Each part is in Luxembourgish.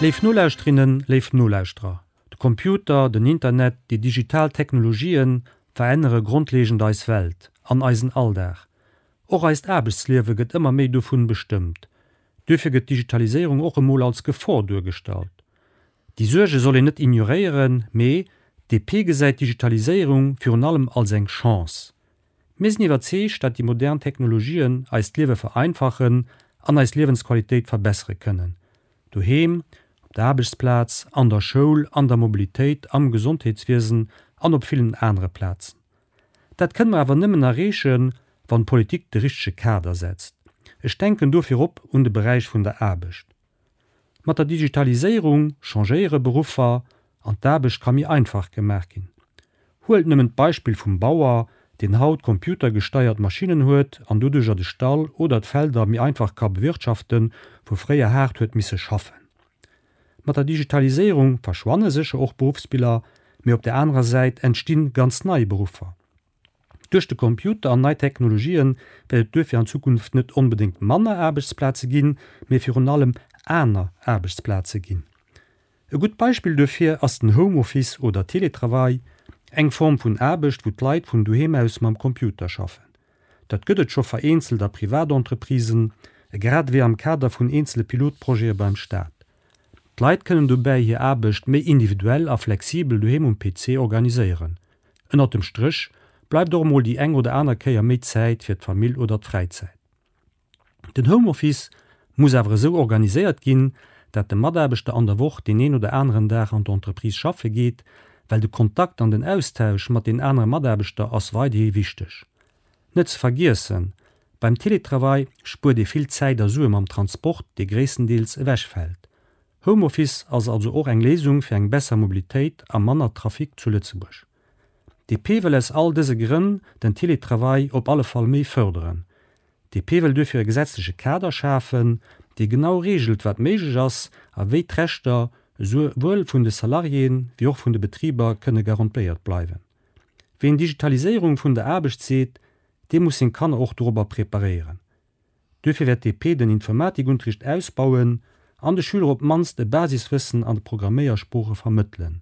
Léif Nolauschterinnen, léif Nolauschterer, de Computer, den Internet, déi digital Technologien verännere grondlegend eis Welt an eisen Alldag. Och eist Aarbechtsliewe gëtt ëmmer méi dovun bestëmmt. Duerfir gëtt d'Digitaliséierung och emol als Gefor duergestallt. Déi Suerge soll een net ignoréieren, mee d'DP gesäit d'Digitaliséierung virun allem als eng Chance. Mir sinn iwwerzeegt, dat déi modern Technologien eist Liewe vereinfachen an eis Liewensqualitéit verbessere kënnen. Doheem, op der Aarbechtsplaz, an der Schoul, an der Mobilitéit, am Gesondheetswiesen an op villen anere Plazen. Dat kënne mer awer nëmmen erreechen, wann d'Politik de richtege Kader setzt. Ech denken do virop un de Beräich vun der Aarbecht. Mat der Digitaliséierung changéiere Beruffer an d'Aarbecht ka méi einfach gemaach ginn. Huelt nëmmen d'Beispill vum Bauer, deen haut computergesteiert Maschinnen huet an doduercher de Stall oder d'Felder méi einfach ka bewirtschaften, wou fréier haart huet misse schaffen. Mat der Digitaliséierung verschwanne sécher och Beruffsbiller, mee op der anerer Säit entstinn ganz nei Beruffer. Duerch de Computer an nei Technologien wäert et duerfir an Zukunft net onbedéngt manner Aarbechtsplaze ginn, mee virun allem aner Aarbechtsplaze ginn. E gutt Beispill duerfir ass den Homeoffice oder Teletravail, eng Form vun Aarbecht, wou d'Leit vun doheem aus mam Computer schaffen. Dat gëtt et scho vereenzelt a Privatentreprisen, grad ewéi am Kader vun eenzele Pilotprojete beim Staat. D'Leit kënnen dobäi hir Aarbecht méi individuell a flexibel doheem um PC organiséieren. Ënnert dem Stréch bleift och emol déi eng oder aner Kéier méi Zäit fir d'Famill oder d'Fräizäit. Den Homeoffice muss awer esou organiséiert ginn, dat de Mataarbechter an der Woch deen een oder aneren Dag an d'Entreprise schaffe geet, well de Kontakt an den Austausch mat den anere Mataarbechter ass weiderhi wichteg. Net ze vergiessen, Beim Teletravail spuert ee vill Zäit a Sue mam Transport, dee gréisstendeels ewechfält. Homeoffice ass also och eng Léisung fir eng besser Mobilitéit a manner Trafic zu Lëtzebuerg. DP wëll aus all dëse Grënn den Teletravail op alle Fall méi fërderen. DP wëll duerfir e gesetzleche Kader schafen, dee genau reegelt, wat méiglech ass a wéi d'Rechter esouwuel vun de Salariéen wéi och vun de Betriber kënne garantéiert bleiwen. Ween Digitaliséierung vun der Aarbecht seet, dee muss seng Kanner och dorobber preparéieren. Duerfir wäert d'DP den Informatikunterricht ausbauen an de Schüler op d'mannst e Basiswëssen an de Programméiersprooche vermëttelen.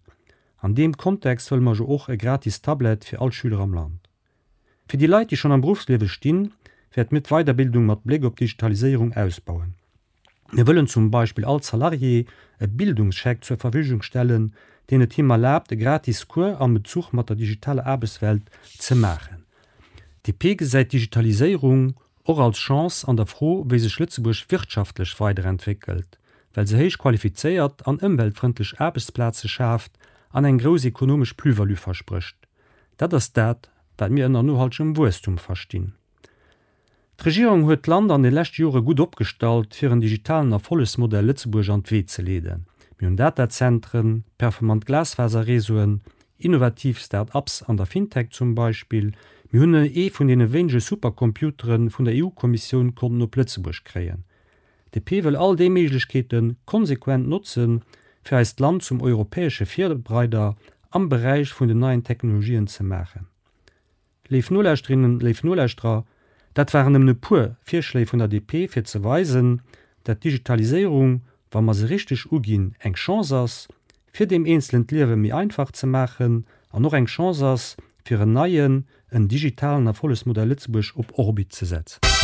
An deem Kontext wëlle mer jo och e gratis Tablet fir all Schüler am Land. Fir déi Leit, déi schonn am Beruffsliewe stinn, wäerte mir d'Weiderbildung mat Bléck op d'Digitaliséierung ausbauen. Mir wëllen zum Beispill all Salarié e Bildungscheck zur Verfügung stellen, deen et him erlaabt, e gratis Cours am Bezuch mat der digitaler Aarbechtswelt ze maachen. DP gesäit d'Digitaliséierung och als Chance an der Fro, wéi sech Lëtzebuerg wirtschaftlech weiderentwéckelt, well se héich qualifizéiert an ëmweltfrëndlech Aarbechtsplaze schaaft an eng grouss ekonomesch Plus-value versprécht. Dat ass dat, wat mir ënner nohaltegem Wuesstum verstinn. D'Regierung huet d'Land an de leschte Jore gutt opgestallt, fir en digitalen Erfollegsmodell Lëtzebuerg an d'Wee ze leeden. Mir hunn Datazentren, performant Glasfaserreseauen, innovativ Start-ups an der Fintech zum Beispill. Mir hunn ee vun deene wéinege Supercomputere vun der EU-Kommissioun konnten op Lëtzebuerg kréien. DP wëll all déi Méiglechkeete konsequent notzen, fir eist Land zum europäesche Virreider am Beräich vun den neien Technologien ze maachen. Léif Nolauschterinnen, léif Nolauschterer, dat waren nëmmen e puer Virschléi vun der DP, fir ze weisen, dat d'Digitaliséierung, wa mer se richteg uginn, eng Chance ass, fir deem Eenzelen d'Liewe méi einfach ze maachen an och eng Chance ass, fir en neien, en digitalen Erfollegsmodell Lëtzebuerg op Orbit ze setzen.